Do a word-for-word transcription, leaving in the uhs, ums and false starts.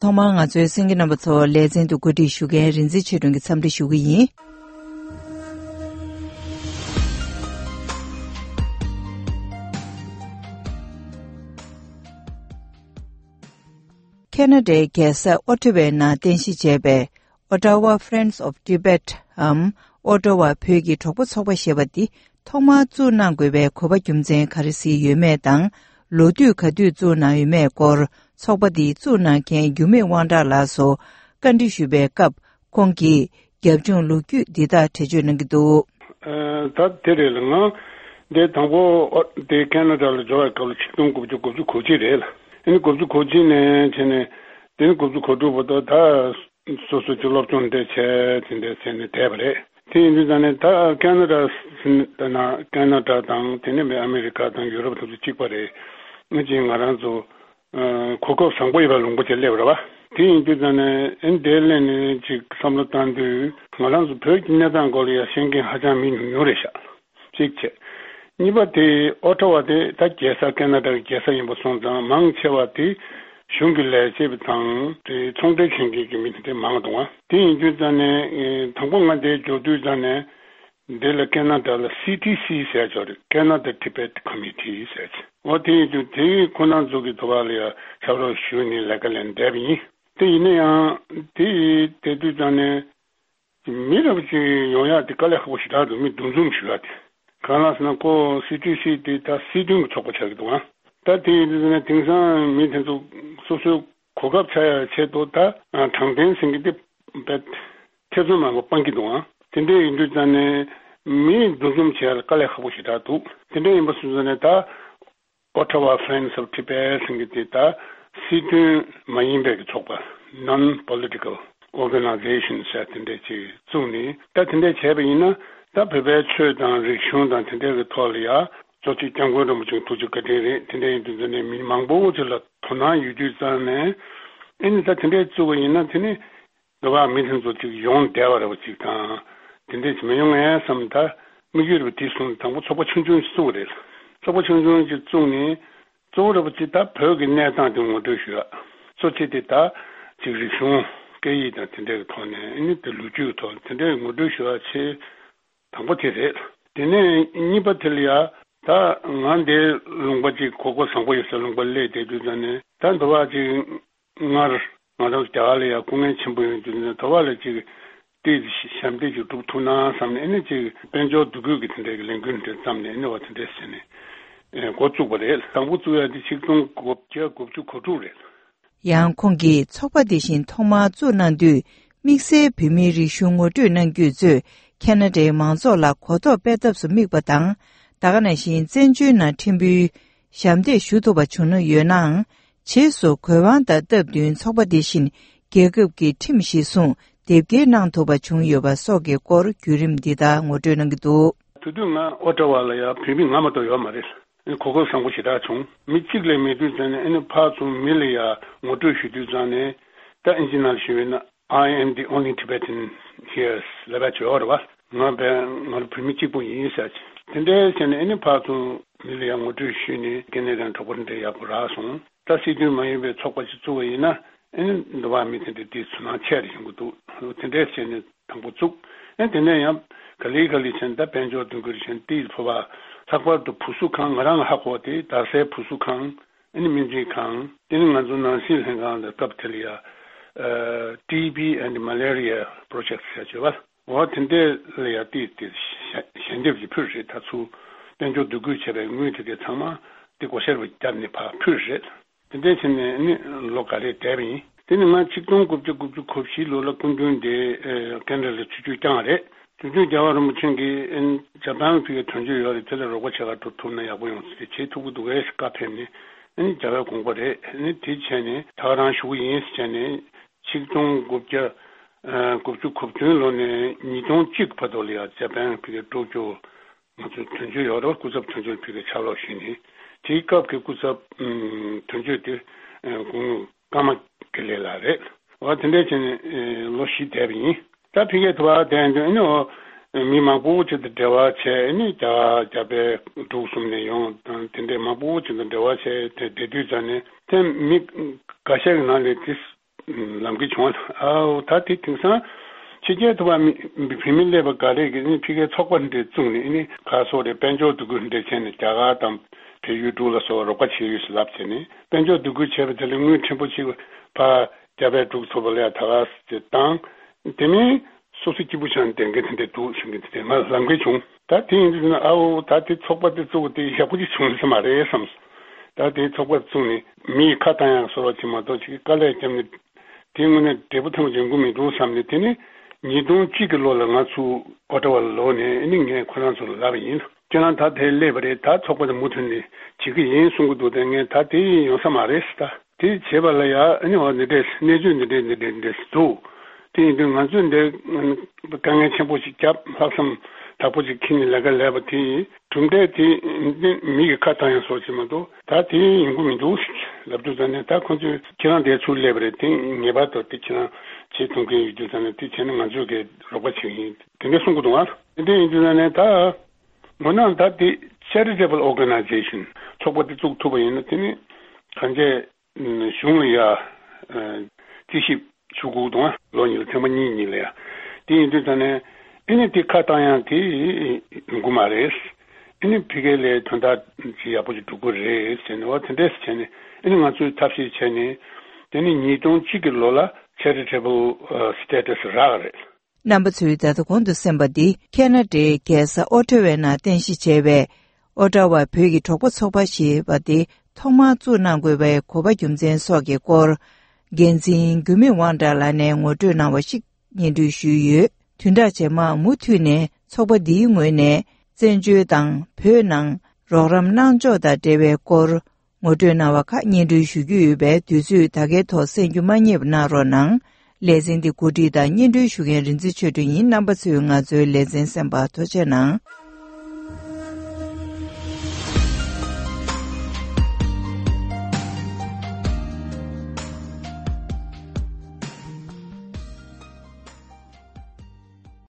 ཐོག་མར་ང་ཚོའི་གསན་མཁན་རྣམ་པ་ཚོ་ལེ་ཚན་དུ་གོ་སྒྲིག་ཞུ་མཁན་རིག་འཛིན་ཆོས་སྒྲོན་གྱིས་འཚམས་འདྲི་ཞུ་གི་ཡིན། ཁེ་ན་ཌའི་རྒྱལ་ས་ཨོ་ཊ་ཝའི་ནང་རྟེན་གཞི་བྱས་པའི་Ottawa Friends of Tibet འམ་ཨོ་ཊ་ཝ་བོད་ཀྱི་གྲོགས་པོ་ཚོགས་པ་ཞེས་པ་འདི་ཐོག་མར་བཙུགས་གནང་དགོས་པའི་གོ་བ་རྒྱུ་མཚན་ག་རེ་ཞིག་ཡོད་མེད་དང་། ལོ་དུས་ག་དུས་བཙུགས་གནང་ཡོད་མེད་སྐོར། ཚོགས་པ་འདི་བཙུགས་གནང་མཁན་འགྱུར་མེད་དབང་གྲགས་ལགས་སུ་བཀའ་འདྲི་ཞུས་པའི་སྐབས། ཁོང་གིས་རྒྱབ་ལྗོངས་ལོ་རྒྱུས་འདི་ལྟར་འགྲེལ་བརྗོད་གནང་གི་འདུག། ཨ། ད་དེ་རེད་ལ། ང་འདི་དང་པོ་ཨོ་དེ་ཁེ་ན་ཌ་ལ་འབྱོར་བའི་སྐབས་ལ་ཆིག་སྟོང་དགུ་བརྒྱ་དགུ་བཅུ་གོ་གཅིག་རེད་ལ། ཨ་ནི་དགུ་བཅུ་གོ་གཅིག་ནས་བྱས་ནས་དེ་ནི་དགུ་བཅུ་གོ་དྲུག་བར་དུ་ད་སོ་སོ་ཀྱི་སློབ་སྦྱོང་འདྲ་བྱས་དེ་འདྲ་བྱས་ནས་བསྡད་པ་རེད། དེ་ཡིན་དུས་ཙང་ནས་ད་ཁེ་ན་ཌ་ཟེར་ན་ཁེ་ན་ཌ་དང་དེ་ནས་མི་ཨ་མི་རི་ཀ་དང་ཡུ་རོབ་དེ་ཚོ་གཅིག་པ་རེད། ཨ་ནི་ཅིག་ང་རང་ཚོ་ཨ་གོ་སྐབས་བཟང་པོ་ཡོད་པའི་ལུང་པ་ཅིག་སླེབས་རེད་བ། དེ་ཡིན་དུས་ཙང་ནས་ཨ་ནི་དེ་སླེབས་ནས་ཅིག་བསམ་བློ་བཏང་དུས་ང་རང་ཚོ་བོད་ཀྱི་གནས་སྟངས་སྐོར་ལ་ཡང་ཤེས་མཁན་ཧ་ཅང་མི་ཉུང་ཉུང་རེད་ཤག། གཅིག་བྱས། གཉིས་པ་དེ་ཨོ་ཊ་ཝ་དེ་ད་རྒྱལ་ས་ཁེ་ན་ཌ་གི་རྒྱལ་ས་ཡིན་པ་སོང་ཙང་མང་ཆེ་བ་དེ་གཞུང་གི་ལས་བྱེད་པ་དང་དེ་ཚོང་འབྲེལ་མཁན་གྱི་མི་དེ་འདྲ་མང་འདུག་ཨ། དེ་ཡིན་དུས་ཙང་ནས་ཨེ་དང་པོ་ང་འདིར་འབྱོར་དུས་ཙང་ནས་འདི་ལ་ཁེ་ན་ཌ་ལ་སི་ཊི་སི་ཟེར་ཅིག་ཡོད་རེད། Canada Tibet Committee ཟེར་ཅིག། འོ་དེ་ཡིན་དུས་དེའི་ཁོ་རང་ཚོ་གི་དུ་བ་ལ་ཡང་ཕྱག་རོགས་ཞུས་ནས་ལས་ཀ་ལས་བསྡད་པ་ཡིན། དེ་ཡིན་ན་ཡང་དེ་ཡི་དེ་དུས་ཙང་ནས། མི་རབས་ཅིག་ཡོང་ཡག་དེ་དཀའ་ལས་ཁག་པོ་ཞེ་དྲག་འདུག། མི་འདུ་འཛོམས་ཞུ་ཡག་དེ། གང་ལགས་ཟེར་ན་ཁོ་སི་ཊི་སི་དེ་ད་སྲིད་དོན་གྱི་ཚོགས་པ་ཆགས་ཀྱི་འདུག་ཨ། ད་དེ་ཡིན་དུས་ན་དེང་སང་མི་དེ་ཚོ་སོ་སོའི་གོ་སྐབས་ཆགས་ཡག་ཆེད་དུ་ད་དྲང་བདེན་ཟེར་མཁན་དེ་བས་ཐེ་ཚོམ་མང་པོ་སྤང་གི་འདུག་ཨ། དེ་འདྲ་ཡིན་དུས་ཙང་ནས་མི་འདུ་འཛོམས་བྱེད་ཡག་ལ་དཀའ་ལས་ཁག་པོ་ཞེ་དྲག་འདུག། དེ་འདྲ་ཡིན་པ་སོང་ཙང་ནས་ད། Ottawa Friends of Tibet ཟེར་མཁན་དེ་ད་སྲིད་དོན་མ་ཡིན་པའི་གི་ཚོགས་པ། Non-political organization ཟེར་དེ་འདྲས་ཅིག་བཙུགས་ནས་ད་དེ་འདྲས་བྱས་པ་ཡིན་ན་ད་བོད་པའི་ཆོས་དང་རིག་གཞུང་དང་དེ་འདྲས་ཀྱི་ཐོག་ལ་ཡ་གཙོ་ཆེ་སྐྱབས་མགོན་རིན་པོ་ཆེ་ཐུགས་རྗེ་བཀའ་དྲིན་རེད། དེ་འདྲས་ཡིན་དུས་ཚོད་ནས་མི་མང་པོ་ཅིག་ལ་དོ་སྣང་ཡོད་དུས་ཙང་ནས་ཨེ་ནི་ད་དེ་འདྲས་བཙུགས་པ་ཡིན་ན་དེ་ནི། འདི་བ་མི་དེ་ཚོ་ཅིག་ཡོང་བསྡད་པ་རེད་པ་ཅིག་དང་། དེ་འདྲས་ཅིག་མི་ཡོང་ངས་བསམ་ད་དམིགས་ཡུལ་རེད་པ་དེ་སོང་དང་པོ་ཚོགས་པ་ཆུང་ཆུང་ཞིག་བཙུགས་པ་རེད། ཚོགས་པ་ཆུང་ཆུང་ཅིག་བཙུགས་ནས་གཙོ་བོ་རེད་པ་ཅིག་ད་བོད་ཀྱི་གནས་སྟངས་དེ་ངོ་སྤྲོད་ཞུ་ཡག། གཙོ་ཆེ་དེ་ད་ཅིག་རིག་གཞུང་སྐད་ཡིག་དང་དེ་འདྲས་ཀྱི་ཐོག་ནས་ཨ་ནི་དེ་ལོ་རྒྱུས་ཀྱི་ཐོག་དེ་འདྲས་ངོ་སྤྲོད་ཞུ་ཡག་ཆེད་དང་པོ་དེ་རེད། དེ་ནས་གཉིས་པ་དེ་ལ་ཡ་ད་ང་འདི་ལུང་པ་ཅིག་གོ་སྐབས་བཟང་པོ་ཡོད་སའི་ལུང་པ་སླེབས་བསྡད་དུས་ཙང་ནས་ད་འདི་བ་ཅིག་སྔར་ང་རང་རྒྱ་གར་ལ་ཡང་སྐུ་ངལ་ཆེན་པོ་ཡོད་དུས་ནས་དོ་བ་ལ་ཅིག་ཏིས་ཞབས་འདེགས་ཅིག་སྒྲུབ་ཐུབ་ན་བསམ་ནས་ཨ་ནི་ཅིག་དཔལ་འབྱོར་འདུ་འགོད་ཀྱི་དེ་འདྲའི་གི་ལས་འགུལ་འདྲ་བརྩམས་ནས་ཨ་ནི་བ་དེ་འདྲ་བྱས་ནས་འགོ་བཙུགས་པ་རེད། དང་པོ་བཙུགས་ཡ་དེ་ཆིག་སྟོང་དགུ་བརྒྱ་དགུ་བཅུ་གོ་དྲུག་རེད། ཡང་ཁོང་གིས་ཚོགས་པ་འདི་བཞིན་ཐོག་མར་བཙུགས་གནང་དུས་དམིགས་བསལ་བོད་མིའི་རིག་གཞུང་ངོ་སྤྲོད་གནང་རྒྱུས་གཙོས་ཁེ་ན་ཌའི་མང་ཚོགས་ལ་གོ་རྟོགས་སྤེལ་ཐབས་སུ་དམིགས་པ་དང་། ད་ག་ནང་བཞིན་བཙན་བྱོལ་ནང་ཕྲན་བུའི་ཞབས་འདེགས་ཞུ་ཐུབ་པ་བྱུང་ན་ཡོད་ནའང་། རྗེས་སུ་གོ་དབང་དང་སྟབས་བསྟུན་ཚོགས་པ་འདི་བཞིན་རྒྱལ་ཁབ་ཀྱི་ཁྲིམས་གཞིར་བཟུང་དེབ་སྐྱེལ་གནང་ཐུབ་པ་བྱུང་ཡོད་པ་སོགས་ཀྱི་སྐོར་བརྒྱུད་རིམ་འདི་ལྟར་ངོ་སྤྲོད་གནང་གི་འདུག། དེ་དུས་ང་ཨོ་ཊ་ཝ་ལ་ཡང་བོད་མི་ང་མ་གཏོགས་ཡོད་མ་རེད། གོ་སྐབས་བཟང་པོ་ཞེ་དྲག་བྱུང་། མི་གཅིག་ལས་མེད་དུས་ཙང་ནས་ཨ་ནི་ཕར་ཚུར་མི་ལ་ཡང་ངོ་སྤྲོད་ཞུ་དུས་ཙང་ནས་ད་ཨིན་ཇི་ནང་ལ་ཞུས་པ་ཡིན་ན། I am the only Tibetan here ལབ་པ་བྱོས་རེད་བ། ང་བས་ང་ལ་བོད་མི་གཅིག་པུ་ཡིན་ཟེར་གྱི། དེ་འདྲའི་བྱས་ནས་ཨ་ནི་ཕར་ཚུར་མི་ལ་ཡང་ངོ་སྤྲོད་ཞུས་ནས་སྐྱེ་གནས་དང་གྲོགས་པོ་འདྲ་ཡག་པོ་རག་སོང་། ད་སྲིད་དོན་མ་ཡིན་པའི་ཚོགས་པ་ཞིག་བཙུགས་པ་ཡིན་ན་ཨ་ནི་འདི་བ་མི་དེ་འདྲ་དེ་ཚུར་སྣང་ཆེ་རུ་ཡོང་གི་འདུག། དེ་འདྲའི་བྱས་ནས་དང་པོ་བཙུགས། ཨ་དེ་ནས་ཡང་ག་ལེ་ག་ལེ་བྱས་ནས་ད་དཔལ་འབྱོར་འདུ་འགོད་བྱས་ནས་དེའི་ཕོ་བ་ལྷག་པར་དུ་བུ་གསོ་ཁང་ང་རང་ཧ་གོ་བ་དེ་རྡ་སའི་བུ་གསོ་ཁང་། ཨ་ནི་སྨན་རྩིས་ཁང་། དེ་ནི་ང་ཚོ་ནང་སྲིད་ལྷན་ཁང་ལ་སྐབས་དེ་ལ་ཡ། ཨ། T B and Malaria Project ཟེར་བྱས་པ། འོ་དེ་འདྲ་ལ་ཡ་ཏིས་ཏིས་ཞལ་ཞལ་འདེབས་ཀྱི་ཕུལ་རེད། ད་ཚུར་དཔལ་འབྱོར་འདུ་འགོད་བྱས་པའི་དངུལ་དེ་གའི་ཚང་མ་དེ་སྒོ་ཤར་བ་བརྒྱབ་ནས་ཕར་ཕུལ་རེད། དེ་འདྲ་བྱས་ནས་ནི་ལོ་འགའ་རེ་བསྡད་པ་ཡིན། དེ་ནི་ང་ཆིག་སྟོང་དགུ་བརྒྱ་དགུ་བཅུ་གོ་བཞི་ལོ་ལ་སྐུ་མདུན་དེ་ཨ་ཁེ་ན་ཌ་ལ་ཆིབས་བསྒྱུར་བསྐྱངས་པ་རེད། བྱུང་བྱུང་རྒྱལ་བ་རིན་པོ་ཆེ་གིས་ཨ་ནི་ཇ་པན་ལ་ཕ་གིར་དོན་གཅོད་ཡོད་རེད། དེ་ལ་རོགས་པ་བྱེད་ག་འགྲོ་ཐུབ་ན་ཡག་པོ་ཡོང་ཟེར་བྱེད་ཐུབ་ཀྱི་འདུག་གས་བཀའ་ཕེབས་ནས་ཨ་ནི་རྒྱལ་བའི་དགོངས་པ་རེད། ཨ་ནི་དེ་བྱས་ནས་ད་ག་རང་ཞུ་གི་ཡིན་ཟེར་བྱས་ནས་ཆིག་སྟོང་དགུ་བརྒྱ་དགུ་བཅུ་གོ་བདུན་ལོ་ནས་ཉིས་སྟོང་གཅིག་བར་དུ་ལ་ཡང་ཇ་པན་ལ་ཕ་གིར་འགྲོ་རྒྱུ་ང་ཚོའི་དོན་གཅོད་ཡོད་རེད། སྐུ་ཚབ་དོན་གཅོད་ཕ་གིར་ཕྱག་རོགས་ཞུས་ནས་དེའི་སྐབས་ཀྱི་སྐུ་ཚབ་དོན་གཅོད་དེ་དགུང་ལོ། ཀརྨ་དགེ་ལེགས་ལགས་རེད། འོ་དེ་འདྲ་བྱས་ནས་ལོ་བཞི་བསྡད་པ་ཡིན། ད་ཕ་གིར་དུ་བ་བསྡད་དུས་ཨ་ནི་འོ་མི་མང་པོ་ཅིག་དང་འབྲེལ་བ་བྱས། ཨ་ནི་རྒྱ་རྒྱ་བལ་འབྲུག་གསུམ་ནས་ཡོང་དང་དེ་འདྲའི་མང་པོ་ཅིག་དང་འབྲེལ་བ་བྱས་དེ་བསྡད་དུས་ཙང་ནས་དེ་མི་འགའ་ཤས་ཀྱི་ནང་ལས་དེ་ ལམ་ཁ་བྱུང་བ། ཨའོ་ད་དེ་དེང་སང་ཕྱི་རྒྱལ་དུ་བ་མི་བུད་མེད་སླེབས་པ་ག་རེ་གི་ནི་ཕ་གིའི་ཚོགས་པ་འདྲ་བཙུགས་ནས་ནི་ཁ་སོ་རེ་དཔལ་འབྱོར་འདུ་འགོད་འདྲ་བྱས་ནས་རྒྱ་གར་དང་བལ་ཡུལ་འབྲུག་ལ་སོགས་རོགས་པ་བྱས་ཡོད་ཟེར་ལབ་བྱས་ནས་དཔལ་འབྱོར་འདུ་འགོད་བྱས་པ་དེ་ལ་དངུལ་ཕྲན་བུ་ཅིག་ཕར་རྒྱ་བལ་འབྲུག་ཚོགས་པ་ལ་ཡ་ད་ག་ཟེ་བཏང་། དེ་མིན་སོ་སོ་སྐྱིད་པོ་ཆགས་ནས་བསྡད་མཁན་དེ་འདྲ་འདུག་ཟེར་མཁན་དེ་ང་ལམ་ཁ་བྱུང་། ད་དེ་ཡིན་དུས་ན་ཨའོ་ད་དེ་ཚོགས་པ་དེ་བཙུགས་དེ་ཡག་པོ་ཅིག་བྱུང་ས་མ་རེད་བསམས། ད་དེ་ཚོགས་པ་བཙུགས་ནས་མི་ཡི་ཁ་བཏང་ཡག་སོགས་ཅིག་མ་གཏོགས་ཅིག་དཀའ་ལས་བརྒྱབ་ནས་དེ་དངོས་གནས་འབྲས་བུ་ཐོན་གྱི་ཡོང་གི་མི་འདུག་བསམས་ནས། དེ་ནི་ཉིས་སྟོང་གཅིག་གི་ལོ་ལ་ང་ཚོ་ཨོ་ཊ་ཝ་ལ་ལོག་ནས་ཨ་ནི་ངས་ཁོ་རང་ཚོ་ལ་ལབ་པ་ཡིན། ཁྱེད་རང་ད་དེ་སླེབས་པ་རེད། ད་ཚོགས་པ་དེ་མུ་མཐུད་ནས་བྱེད་ཀྱི་ཡིན་གསུང་གི་འདུག་དེ་ངས་ད་དེ་ཡོང་ས་མ་རེད་ཟེར། ད་དེ་བྱེད་པ་ལ་ཡ་ཨ་ནི་འོ་འདི་འདྲས་གནས་ཚུལ་འདི་འདྲས་འདི་འདྲས་འདི་འདྲས་འདུག་དེ་ཡིན་དུས་ང་ཚོས་འདི་དཀའ་ངལ་ཆེན་པོ་ཞིག་བརྒྱབ། ལྷག་བསམ་དྲག་པོ་ཞིག་འཁྱེར་ནས་ལས་ཀ་ལས་པ་དེ་གྲུབ་འབྲས་དེ་མི་གི་ཁ་བཏང་ཡང་སོགས་ཞིག་མ་གཏོགས་ད་དེ་ཡོང་གི་མི་འདུག་ལབ་དུས་ཙང་ནས། ད་ཁོང་ཚོས་ཁྱེད་རང་དེ་ཚུར་སླེབས་པ་རེད། དེ་ངེས་པར་དུ་དེ་ཁྱེད་རང་བྱེད་ཐུབ་མཁན་ཡོད་དུས་ཙང་ནས་དེ་བྱས་ན་ང་ཚོས་གི་རོགས་པ་བྱེད་ཀྱི་ཡིན། དེ་འདྲས་གསུང་གི་འདུག་ཨ། དེ་འདྲས་ཡིན་དུས་ཙང་ནས་ད། འོ་ན་ད་དེ་charitable organization ཚོགས་པ་དེ་བཙུགས་ཐུབ་པ་ཡིན་ན་དེ་ནི་གང་ཅི་གཞུང་ལ་ཡ་རྩིས་ཞིབ་ཞུ་དགོས་འདུག་ལོ་གཉིས་ལ་ཐེངས་མ་གཉིས་གཉིས་ལ་ཡ། དེ་ཡིན་དུས་ད་ནས་ཨེ་ནི་དེ་ཁ་བཏང་ཡང་དེ་ཡོང་གི་མ་རེད། ཨེ་ནི་ཕ་གི་ལ་དོན་དག་ཅིག་ཡག་པོ་ཅིག་འགྲོ་གི་རེད་ཟེར་ནས། འོ་དེ་འདྲས་བྱས་ནས་ཨེ་ནི་ང་ཚོས་ཐབས་ཤེས་བྱས་ནས་དེ་ནི་ཉིས་སྟོང་གཅིག་གི་ལོ་ལ་charitable status རག་རེད། རྣམ་པ་ཚོས་ད་ལྟ་གོང་དུ་གསན་པ་འདི་ཁེ་ན་ཌའི་རྒྱལ་ས་ཨོ་ཊ་ཝའི་ནང་རྟེན་གཞི་བྱས་པའི་ཨོ་ཊ་ཝ་བོད་ཀྱི་གྲོགས་པོ་ཚོགས་པ་ཞེས་པ་དེ་ཐོག་མར་བཙུགས་གནང་དགོས་པའི་གོ་བ་རྒྱུ་མཚན་སོགས་ཀྱི་སྐོར། འགན་འཛིན་འགྱུར་མེད་དབང་གྲགས་ལགས་ནས་ངོ་སྤྲོད་གནང་བ་ཞིག་སྙན་སྒྲོན་ཞུས་ཡོད། བདུན་ཕྲག་རྗེས་མར་མུ་མཐུད་ནས་ཚོགས་པ་འདིའི་ངོས་ནས་བཙན་བྱོལ་དང་བོད་ནང་རོགས་རམ་གནང་ཕྱོགས་དང་འབྲེལ་བའི་སྐོར། ངོ་སྤྲོད་གནང་བ་ཁག་སྙན་སྒྲོན་ཞུ་རྒྱུ་ཡོད་པས། དུས་ཚོད་ད་གའི་ཐོག་གསན་རྒྱུ་མ་བསྙེལ་བ་གནང་རོགས་གནང་། ལེ་ཚན་འདི་གོ་སྒྲིག་དང་སྙན་སྒྲོན་ཞུ་མཁན་རིག་འཛིན་ཆོས་སྒྲོན་ཡིན། རྣམ་པ་ཚོས་ང་ཚོའི་ལེ་ཚན་གསན་པར་ཐུགས་རྗེ་གནང་།